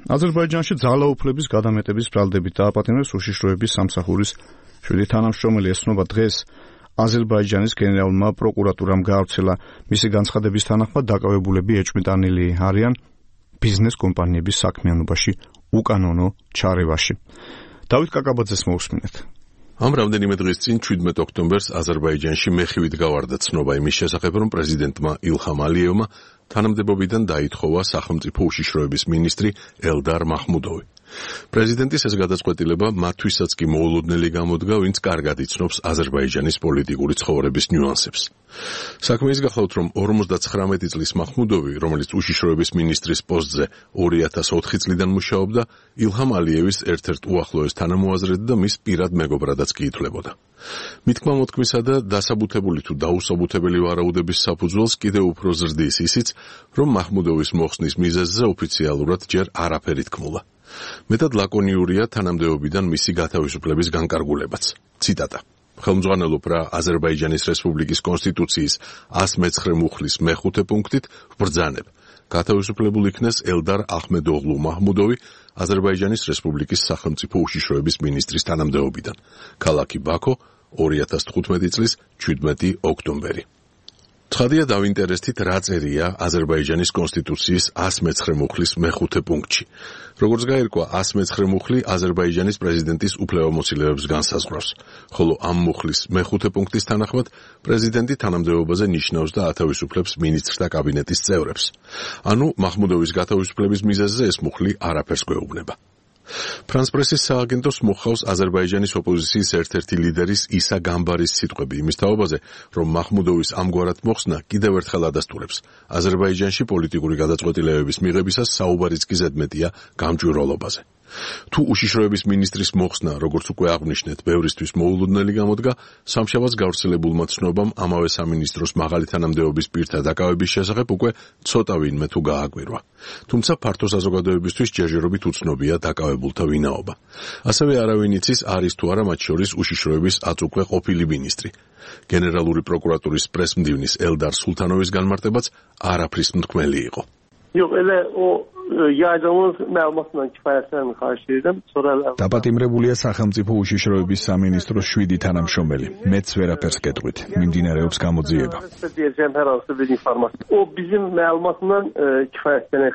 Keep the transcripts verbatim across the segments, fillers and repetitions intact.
აზერბაიჯანში ძალაუფლების გადამეტების ბრალდებით დააპატიმრეს უშიშროების სამსახურის შვიდი თანამშრომელი. ესწრება დღეს აზერბაიჯანის გენერალურმა პროკურატურამ გაავრცელა. მისი განცხადების თანახმად დაკავებულები ეჭვმიტანილი არიან ბიზნეს კომპანიების საქმიანობაში უკანონო ჩარევაში. დავით კაკაბაძეს მოусმინეთ. ამ რამდენიმე დღის წინ ჩვიდმეტ ოქტომბერს აზერბაიჯანში მეხივით გავარდა ცნობა იმის შესახებ, რომ პრეზიდენტმა ილჰამ ალიევმა თანამდებობიდან დაითხოვა სახელმწიფო უშიშროების მინისტრი ელდარ მაჰმუდოვი. პრეზიდენტის ეს გადაწყვეტილება მათთვისაც კი მოულოდნელი გამოდგა, ვინც კარგად იცნობს აზერბაიჯანის პოლიტიკური ცხოვრების ნიუანსებს. საქმე ის გახლავთ, რომ ორმოცდაცხრამეტი წლის მაჰმუდოვი, რომელიც უშიშროების მინისტრის პოსტზე ორი ათას ოთხი წლიდან მუშაობდა, ილჰამ ალიევის ერთ-ერთ უახლოეს თანამოაზრედ და მის პირად მეგობრადაც კი ითვლებოდა. მითქმა მოთქმისა და დასაბუთებული თუ დაუსაბუთებელი ვარაუდების საფუძველს კიდევ უფრო ზრდის ისიც, რომ მაჰმუდოვის მოხსნის მიზეზზე ოფიციალურად ჯერ არაფერი თქმულა. მეტად ლაკონიურია თანამდებობიდან მისი გათავისუფლების განკარგულებაც. ციტატა: ხელმძღვანელობ რა აზერბაიჯანის რესპუბლიკის კონსტიტუციის ას მეცხრე მუხლის მეხუთე პუნქტით ვბრძანებ. გათავისუფლებულ იქნეს ელდარ აჰმედოღლუ მაჰმუდოვი, აზერბაიჯანის რესპუბლიკის სახელმწიფო უშიშროების მინისტრის თანამდებობიდან. ქალაქი ბაქო, ორი ათას თხუთმეტი წლის ჩვიდმეტი ოქტომბერი. ცხადია დავინტერესდით, რა წერია აზერბაიჯანის კონსტიტუციის ას მეცხრე მუხლის მეხუთე პუნქტში. როგორც გაირკვა, ას მეცხრე მუხლი აზერბაიჯანის პრეზიდენტის უფლებამოსილებას განსაზღვრავს, ხოლო ამ მუხლის მეხუთე პუნქტის თანახმად პრეზიდენტი თანამდებობაზე ნიშნავს და ათავისუფლებს მინისტრთა კაბინეტის წევრებს. ანუ მაჰმუდოვის გათავისუფლების მიზეზზე ეს მუხლი არაფერს გვეუბნება. ფრანს პრესის სააგენტოს მოხავს აზერბაიჯანის ოპოზიციის ერთ-ერთი ლიდერის ისა გამბარის სიტყვები იმის თაობაზე, რომ მაჰმუდოვის ამგვარად მოხსნა კიდევ ერთხელ ადასტურებს. აზერბაიჯანში პოლიტიკური გადაწყვეტილებების მიღებისას საუბარიც კი ზედმეტია გამჭვირვალობაზე. თუ უშიშროების მინისტრის მოხსნა, როგორც უკვე აღვნიშნეთ, ბევრისთვის მოულოდნელი გამოდგა, სამშაბათს გავრცელებულმა ცნობამ ამავე სამინისტროს მაღალი თანამდებობის პირთა დაკავების შესახებ უკვე ცოტა ვინმე თუ გააკვირვა. თუმცა ფართო საზოგადოებისთვის ჯერჯერობით უცნობია დაკავებულთა ვინაობა. ასევე არავინ იცის, არის თუ არა მათ შორის უშიშროების აწუკვე ყოფილი მინისტრი. გენერალური პროკურატურის პრესმდივნის ელდარ სულთანოვის განმარტებაც არაფრის მთქმელი იყო. Yox, elə o yaycamın məlumatla kifayətlənmir xahiş edirəm. Sonra დაპატიმრებულია სახელმწიფო უშიშროების სამინისტროს შვიდი თანამშრომელი. მეც ვერაფერს გეტყვით. მიმდინარეობს გამოძიება. deyəcəm hər hansı bir informasiya. O bizim məlumatla kifayətlənir.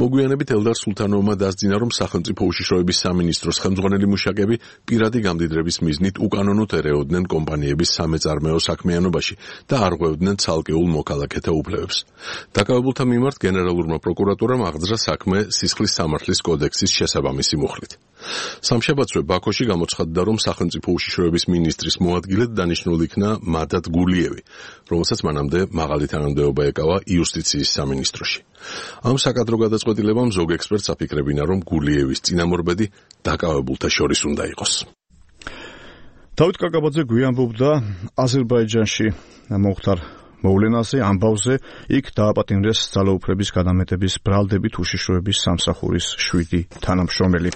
მოგვიანებით ელდარ სულთანოვმა დასძინა, რომ სახელმწიფო უშიშროების სამინისტროს ხელმძღვანელი მუშაკები პირადი გამდიდრების მიზნით უკანონოდ ერეოდნენ კომპანიების სამეწარმეო საქმიანობაში და არ ღვევდნენ ცალკეულ მოქალაქეთა უფლებებს. დაკავებულთა მიმართ გენერალურმა პროკურატურამ აღძრა საქმე სისხლის სამართლის კოდექსის შესაბამისი მუხლით. სამშაბათსვე ბაქოში გამოცხადდა, რომ სახელმწიფო უშიშროების მინისტრის მოადგილედ დანიშნულ იქნა მადად გულიევი, რომელსაც მანამდე მაღალი თანამდებობა ეკავა იუსტიციის სამინისტროში. ამ საკადრო გადაწყვეტილებამ ზოგ ექსპერტს აფიქრებინა, რომ გულიევის წინამორბედი დაკავებულთა შორის უნდა იყოს. დავით კაკაბაძე გვიანბობდა აზერბაიჯანში მოხდარ მოვლენაზე, ამბავზე, იქ დააპატიმრეს ძალაუფლების გადამეტების ბრალდებით უშიშროების სამსახურის შვიდი თანამშრომელი.